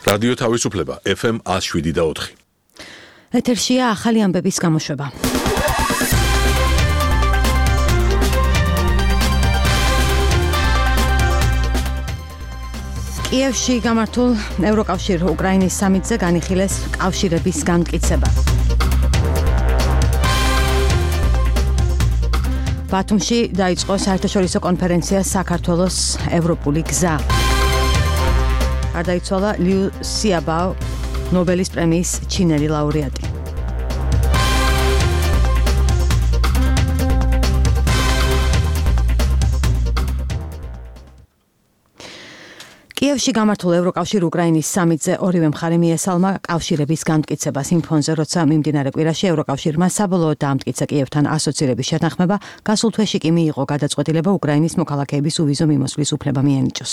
რადიო თავისუფლება FM 107.4. ეთერშია ახალი ამბების გამოშვება. კიევში გამართულ ევროკავშირ უკრაინის სამიტზე განიხილეს კავშირების განმტკიცება. ბათუმში დაიწყო საერთაშორისო კონფერენცია საქართველოს ევროპული გზა. გარდაიცვალა ლიუ სიაბაო, ნობელის პრემიის ჩინელი ლაურეატი. კიევში გამართულ ევროკავშირ უკრაინის სამიტზე ორივე მხარე მიესალმა კავშირების განმტკიცებას. იმ ფონზე, როცა მიმდინარე კვირაში ევროკავშირმა საბოლოოდ დაამტკიცა კიევთან ასოცირების შეთანხმება, გასულ თვეში კი მიიღო გადაწყვეტილება უკრაინის მოქალაქეების უვიზო მიმოსვლის უფლება მიენიჭოს.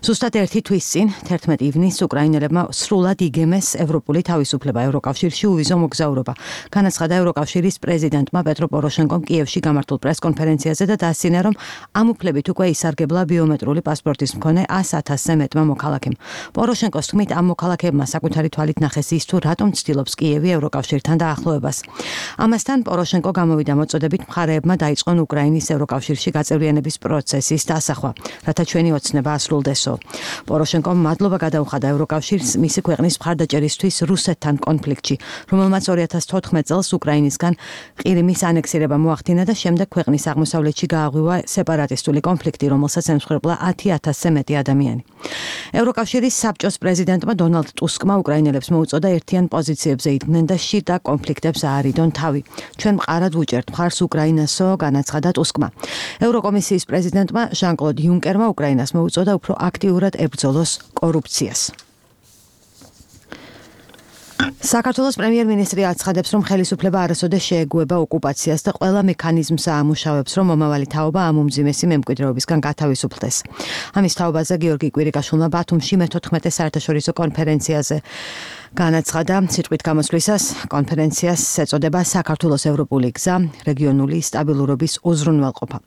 ზუსტად ერთი თვის წინ, 11 ივნისს უკრაინელებმა სრულად იგემეს ევროპული თავისუფლება ევროკავშირში უვიზო მოგზაურობა. განაცხადა ევროკავშირის პრეზიდენტმა პეტრო პოროშენკომ კიევში გამართულ პრესკონფერენციაზე და დასცინა, რომ ამ უფლებით უკვე ისარგებლა ბიომეტრული პასპორტის მქონე 100,000 მეტმა მოქალაქემ. პოროშენკოს თქმით, ამ მოქალაქეებმა საკუთარი თვალით ნახეს ის, თუ რატომ ცდილობს კიევი ევროკავშირთან დაახლოებას. ამასთან პოროშენკო გამოვიდა მოწოდებით მხარეებმა დაიწყონ უკრაინის ევროკავშირში გაწევრიანების პროცესის დასახვა, რათა ჩვენი ოცნება ასრულდესო. პოროშენკომ მადლობა გადაუხადა ევროკავშირს მისი ქვეყნის მხარდაჭერისთვის რუსეთთან კონფლიქტში, რომელმაც 2014 წელს უკრაინისგან ყირიმის ანექსირება მოახდინა და შემდეგ ქვეყნის აღმოსავლეთში გააღვივა სეპარატისტული კონფლიქტი, რომელსაც ემსხვერპლა 10,000-ზე მეტი ადამიანი. ევროკავშირის საბჭოს პრეზიდენტმა დონალდ ტუსკმა უკრაინელებს მოუწოდა ერთიან პოზიციებზე იდგნენ და შიდა კონფლიქტებს აარიდონ თავი. ჩვენ მყარად ვუჭერთ მხარს უკრაინასო, განაცხადა ტუსკმა. ევროკომისიის პრეზიდენტმა ჟან-კლოდ იუნკერმა უკრაინას მოუწოდა უფრო აქტიურად ებრძოლოს კორუფციას. საქართველოს პრემიერ-მინისტრი აცხადებს, რომ ხელისუფლება არასოდეს შეეგუება ოკუპაციას და ყველა მექანიზმს აამუშავებს, რომ მომავალი თაობა ამ უმძიმესი მემკვიდრეობისგან გათავისუფლდეს. ამის თაობაზე გიორგი კვირიკაშვილმა ბათუმში მე-14 საერთაშორისო კონფერენციაზე განაცხადა, სიტყვით გამოსვლისას კონფერენციას ეწოდება საქართველოს ევროპული გზა, რეგიონული სტაბილურობის უზრუნველყოფა.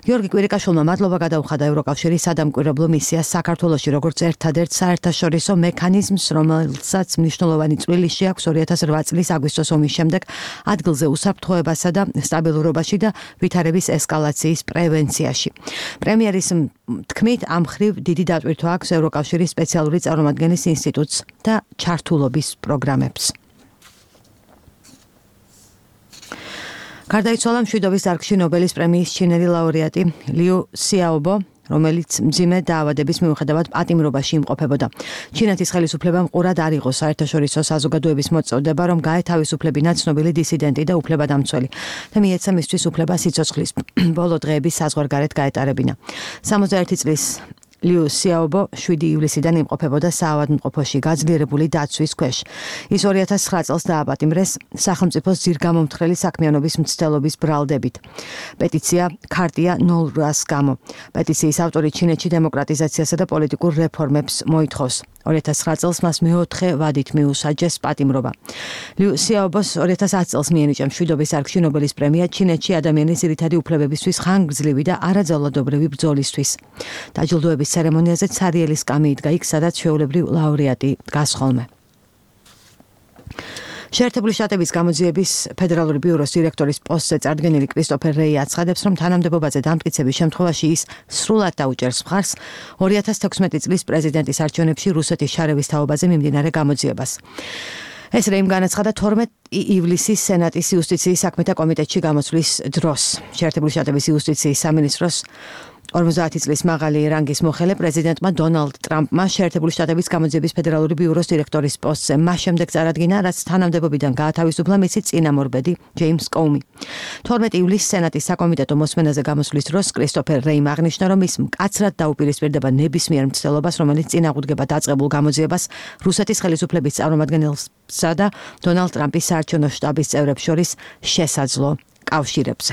გიორგი კვირიკაშვილმა მადლობა გადაუხადა ევროკავშირის სადამკვირვებლო მისიას საქართველოში, როგორც ერთადერთ საერთაშორისო მექანიზმს, რომელსაც მნიშვნელოვანი წვლილი შეაქვს 2008 წლის აგვისტოს ომის შემდეგ ადგილზე უსაფრთხოებასა და სტაბილურობაში და ვითარების ესკალაციის პრევენციაში. პრემიერის თქმით, ამ ხრივ დიდი დატვირთვა აქვს ევროკავშირის სპეციალური წარმომადგენლის ინსტიტუტს და ჩართულობის პროგრამებს. გარდაიცვალა მშვიდობის დარგში ნობელის პრემიის ჩინელი ლაურეატი ლიუ სიაობო, რომელიც მძიმე დაავადების მიუხედავად პატიმრობაში იმყოფებოდა. ჩინეთის ხელისუფლებამ ყურად არ იღო საერთაშორისო საზოგადოების მოწოდება, რომ გაეთავისუფლებინა ცნობილი დისიდენტი და უფლებადამცველი და მიეცა მისთვის უფლება სიცოცხლის ბოლო დღეების საზღვარგარეთ გაეტარებინა. 61 წლის ლიუ სიაობო 7 ივლისიდან იმყოფებოდა საავადმყოფოში გაძლიერებული დაცვის ქვეშ. ის 2009 წელს დააპატიმრეს სახელმწიფოს ძირგამომთხრელი საქმიანობის მცდელობის ბრალდებით. პეტიცია ქარტია 0-ს გამო. პეტიციის ავტორი ჩინეთში დემოკრატიზაციასა და პოლიტიკურ რეფორმებს მოითხოვს. 2009 წელს მას მეოთხე ვადით მიუსაჯეს პატიმრობა. ლიუ სიაობოს 2010 წელს მიენიჭა მშვიდობის დარგში ნობელის პრემია ჩინეთში ადამიანის ძირითადი უფლებებისთვის ხანგრძლივი და არაძალადობრივი ბრძოლისთვის. დაჯილდოების ცერემონიაზე ცარიელი სკამი იდგა იქ, სადაც ჩვეულებრივ ლაურეატი დგას ხოლმე. შეერთებული შტატების გამოძიების ფედერალური ბიუროს დირექტორის პოსტზე წარდგენილი კრისტოფერ რეი აცხადებს, რომ თანამდებობაზე დამტკიცების შემთხვევაში ის სრულად დაუჭერს მხარს 2016 წლის პრეზიდენტის არჩევნებში რუსეთის შარევის თაობაზე მიმდინარე გამოძიებას. ეს რეიმ განაცხადა 12 ივლისის სენატის იუსტიციის საქმეთა კომიტეტში გამოსვლის დროს. შეერთებული შტატების იუსტიციის სამინისტროს 50 წლის მაღალი რანგის მოხელე პრეზიდენტმა დონალდ ტრამპმა შეერთებული შტატების გამოძიების ფედერალური ბიუროს დირექტორის პოსტზე მას შემდეგ წარადგინა, რაც თანამდებობიდან გაათავისუფლა მისი წინამორბედი ჯეიმს კოუმი. 12 ივლისს სენატის საკომიტეტო მოსმენაზე გამოსვლის დროს კრისტოფერ რეიმ აღნიშნა, რომ ის მკაცრად დაუპირისპირდება ნებისმიერ მცდელობას, რომელიც წინააღმდეგება დაწყებულ გამოძიებას რუსეთის ხელისუფლების წარმომადგენელსა და დონალდ ტრამპის საარჩევნო შტაბის წევრებს შორის შესაძლო კავშირებზე.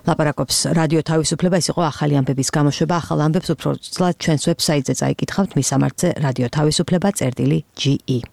ლაპარაკობს რადიო თავისუფლება, ეს იყო ახალი ამბების გამოშვება. ახალ ამბებს უფრო ცლად ჩვენს ვებსაიტზე წაიკითხავთ, მის სამართზე რადიო თავისუფლება წერტილი GE.